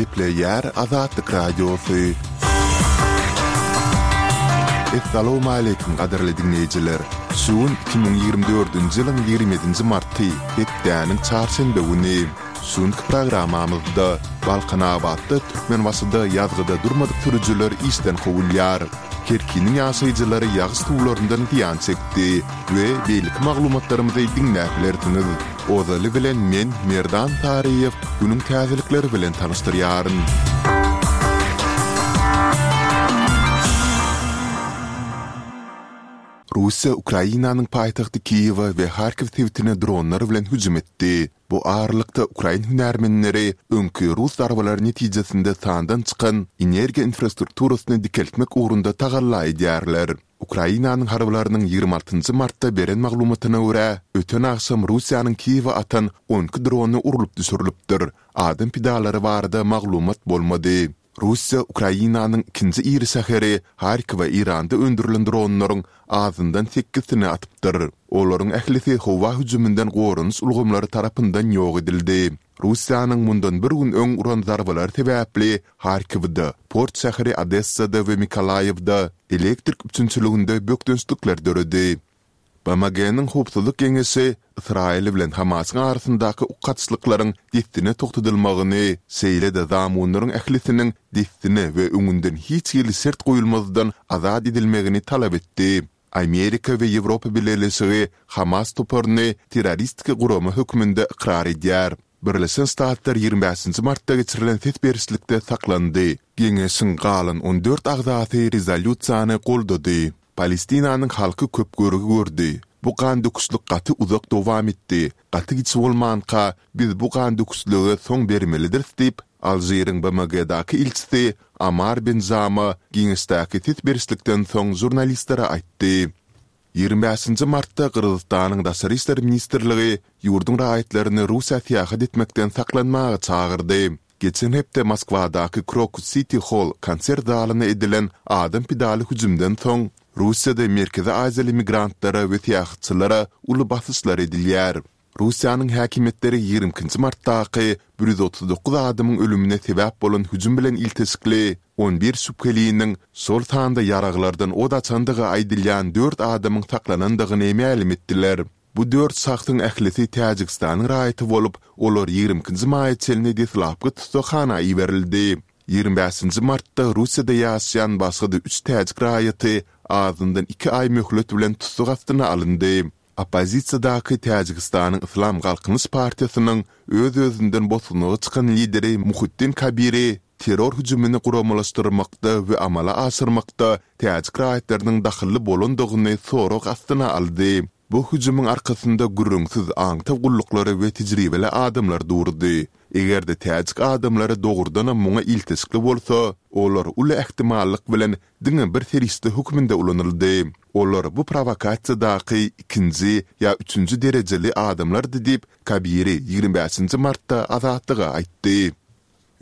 Gepleýär Azatlyk Radiosy. Essalawmaleýkim gadyrly diňleýjiler! Şu gün 2024-nji ýylyň 27-nji marty, hepdäniň çarşenbe güni. Şu günki programmamyzda Balkanabatda Türkmenbaşyda ýazgyda durmadyk sürüjiler işden kowulýar. Kerkiniň ýaşaýjylary ýagyş suwlaryndan zyýan çekdi we beýleki maglumatlarymyzy diňläp bilersiňiz. Ozaly bilen men, Merdan Saryýew, günüň täzelikleri bilen tanyşdyrýaryn. Russiýa Ukrainanyň paýtagty Kiýewe we Harkiw sebitine dronlar bilen hüjüm etdi. Bu aralykda, ukrain hünärmenleri öňki rus zarbalary netijesinde sandan çykan energiýa infrastrukturasyny dikeltmek ugrunda tagalla edýärler. Ukrainanyň harbylarynyň 26 nji martda beren maglumatyna görä, öten agşam Russiýanyň Kiýewe atan 12 drony urlup düşürilipdir, adam pidalary barada maglumat bolmady. Russiýa Ukrainanyň ikinji iri şäheri Harkowa Eýranda öndürilen dronlaryň azyndan sekizsini atypdyr. Olaryň ählisi howa hüjüminden goranyş ulgamlary tarapyndan ýok edildi. Russiýanyň mundan bir gün öň uran zarbalary sebäpli Harkiwde, port şäheri Odessada we Mykolaýiwda elektrik üpjünçiliginde bökdençlikler döredi. BMG-niň Howpsuzlyk Geňeşi Ysraýyl bilen Hamasyň arasyndaky ok atyşlyklaryň dessine togtadylmagyny, şeýle-de zamunlaryň ählisiniň dessine we öňünden hiç hili şert goýulmazdan azat edilmegini talap etdi. Amerika we Ýewropa Bileleşigi Hamas toparyny terroristik gurama hökmünde ykrar edýär. Birleşen Ştatlar 25-nji martda geçirilen ses berişlikde saklandy. Geňeşiň galan 14 agzasy rezolýusiýany goldady. Palestinanyň halky köp görgi gördi. Bu gandöküşlik gaty uzak dowam etdi. Gaty giç bolmanka, biz bu gandöküşlige soň bermelidiris diýip, Alžiriň BMG-daky ilçisi Amar Benjama Geňeşdäki ses berişlikden soň žurnalistlere aýtdy. 25-nji martda Gyrgyzystanyň Daşary işler ministrligi ýurduň raýatlaryny Russiýa syýahat etmekden saklanmaga çagyrdy. Geçen hepde Moskwadaky Krokus Siti Holl konsert zalyna edilen adam pidaly hüjümden soň, Russiýada Merkezi Aziýaly migrantlara we syýahatçylara uly basyşlar edilýär. Russiýanyň häkimiýetleri 22-nji martdaky 139 adamyň ölümine sebäp bolan hüjüm bilen ilteşikli 11 şübheliniň, şol sanda ýaraglardan ot açandygy aýdylýan dört adamyň saklanandygyny mälim etdiler. Bu dört şahsyň ählisi Täjigistanyň raýaty bolup, olar 22-nji maýa çenli deslapky tussaghana iberildi. 25-nji martda Russiýada ýaşaýan başga-da üç täjik raýaty azyndan iki aý möhlet bilen tussag astyna alyndy. Oppozisiýadaky Täjigistanyň Yslam Galkynyş partiýasynyň öz-özünden bosgunlyga çykan lideri Muhiddin Kabiri terror hüjümini guramalaşdyrmakda we amala aşyrmakda täjik raýatlarynyň dahylly bolandygyny sorag astyna aldy. Bu hüjümiň arkasynda gürrüňsiz aňtaw gulluklary we tejribeli adamlar durdy. Eger-de täjik adamlary dogrudanam muňa ilteşikli bolsa, olar uly ähtimallyk bilen diňe bir serişde hökmünde ulanyldy. Olar bu prowokasiýadaky ikinji ýa üçünji derejeli adamlardy diýip, Kabiri 25-nji martda Azatlyga aýtdy.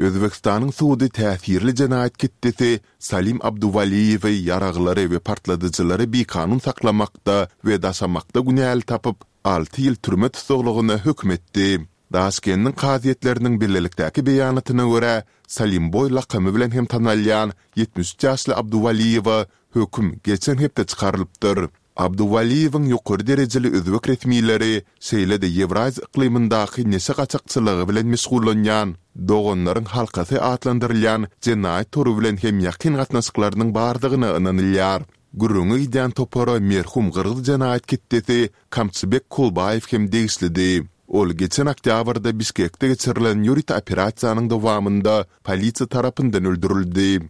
Özbegistanyň sudy täsirli jenaýat ketdesi Salim Abduwaliýewi ýaraglary we partladyjylary bikanun saklamakda we daşamakda günäli tapyp, alty ýyl türme tussaglygyna höküm etdi. Daşkendiň kazyýetleriniň bilelikdäki beýanatyna görä, Salimboý lakamy bilen hem tanalýan 73 ýaşly Abduwaliýewe höküm geçen hepde çykarylypdyr. Abduwaliýewiň ýokary derejeli özbek resmileri, şeýle-de Ýewraziýa yklymyndaky neşe gaçakçylygy bilen meşgullanýan Doganlaryň halkasy atlandyrylýan jenaýat tory bilen hem ýakyn gatnaşyklarynyň bardygyna ynanylýar. Gürrüňi gidýän topara merhum gyrgyz jenaýat ketdesi Kamçybek Kolbaýew hem degişlidi. Ol geçen oktýabrda Bişkekde geçirilen ýörite operasiýanyň dowamynda polisiýa tarapyndan öldürildi.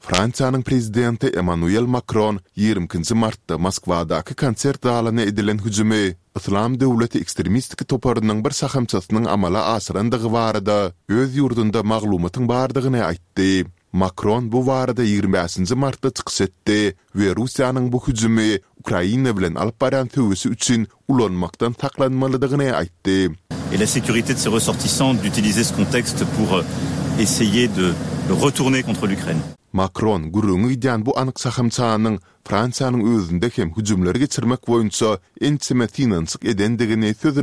Fransiýanyň prezidenti Emmanuel Makron 22-nji martda Moskwadaky konsert zalyna edilen hüjümi Yslam döwleti ekstremistik toparynyň bir şahamçasynyň amala aşyrandygy barada öz ýurdunda maglumatyň bardygyny aýtdy. Makron bu barada 25-nji martda çykyş etdi we Russiýanyň bu hüjümi Ukraina bilen alyp barýan söweşi üçin ulanmakdan saklanmalydygyny aýtdy. Et la sécurité de ses ressortissants d'utiliser ce contexte pour essayer de retourner contre l'Ukraine. Makron gürrüňi gidýän bu anyk şahamçanyň Fransiýanyň özünde hem hüjümleri geçirmek boýunça ençeme synanyşyk edendigini sözüne.